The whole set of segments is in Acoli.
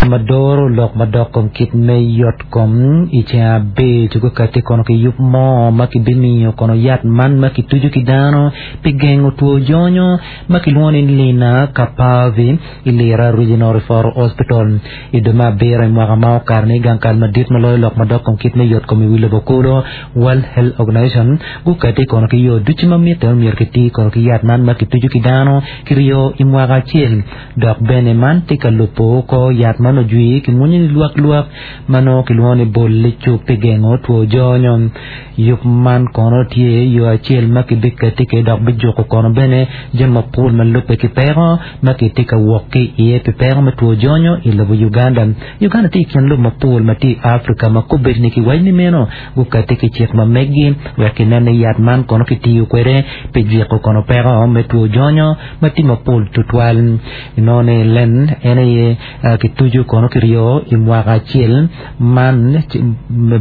Ma doro lok madok kom kit me yot kom i ceng abic gukati kono ki yub mo ma kibimiyo kono yat man ma kituco ki dano pi gengo two jonyo ma kilwongo ni Lenacapavir i Lira Regional Referral Hospital. I dwe me abiro i mwaka ma okato-ni, gang kal madit ma loyo lok madok kom kit me yot kom i wi lobo kulu, World Health Organization, gukati kono ki yo ducu ma mitte myero kiti kono ki yat man ma kituco ki dano kiryo i mwaka acel. Dok bene man tye ka lubo kor yat ma onongo ojwi ki mwonyo ni lwak lwak ma nongo kilwongo ni bol licuk pi gengo two jonyo. Yub man kono tye yo acel ma kibiketi kwede dok bijuko kono bene jami mapol ma lubbe ki peko ma kitye ka wok ki iye pi peko me two jonyo i lobo Uganda. Uganda tye i kin lobo mapol ma tye i Africa ma kobedi ni kiwaco ni meno gukati ki cik ma meggi wek kinen ni yat man kono kitiyo kwede pi jwiko kono peko me two jonyo ma tye mapol tutwal. Inongo ni len en aye kituco kono kiryo i mwaka acel man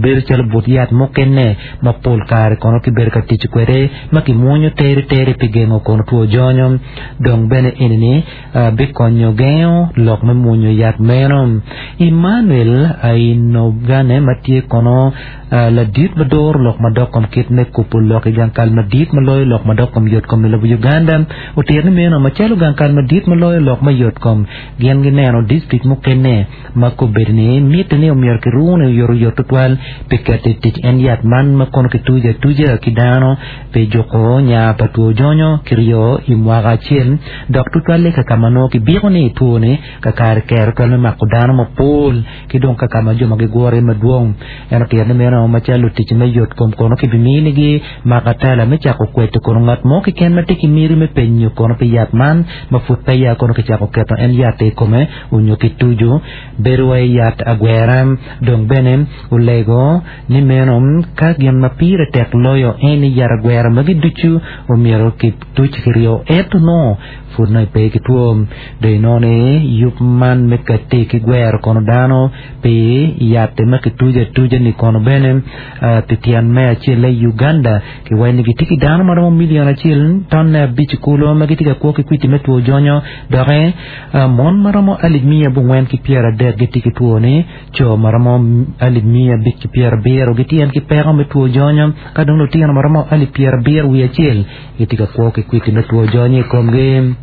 bedo calo but yat mukene ma pol kare kono kibedo ka tic kwede ma kimwonyo tere tere pi gengo kono two jonyo. Dong bene eni-ni bikonyo gengo lok me mwonyo yat meno. Emmanuel Ainogane ma tye kono Ladit ma doro lok madok kom kit me kubo lok i gang kal madit ma loyo lok madok kom yotkom i lobo Uganda otito ni meno macalo gang kal madit ma loyo lok me yotkom gin gineno dictrict mukene ma kobedo ni mitte ni omyero kirune oyotoyot tutwal pi keto i tic en yat man ma kono kituco atuca ki dano pi juko nya pa two jonyo kiryo i mwaka acel dok tutwalle ka ka ma nongo kibiko ni two ni kakare kero twal me mako dano mapol ki dong ka ka ma jo ma gigure madwong. En otito ni meno macalo lutic me yot kom kono kibiminigi makatala me cako kweto kono ngat mo keken ma tye ki miti me penyo kono pi yat man ma pud peya kono kicako keto en yat-ti i kome onyo kituco bedo wa i yat agwera. Dong bene olego ni meno ka gin ma pire tek loyo en ni yat agwera magi ducu omyero kituc kiryo ento nongo pud nongo ipe ki two. Dong inongo ni yub man me katti ki gwero kono dano pi yat ma kituco atuca-ni kono bene pi tyen me acel i Uganda kiwaco ni gitye ki dano ma romo milion acel tonne abic kulu ma gitye ka kwo ki kwiti me two jonyo doki mon ma romo alip miya abongwen ki pyeradek gitye ki two-ni co ma romo alip miya abic ki pyerabiro gitye en ki peko me two jonyo ka dong lutino ma romo alip pyerabiro wiye acel gitye ka kwo ki kwiti me two jonyo i komgi.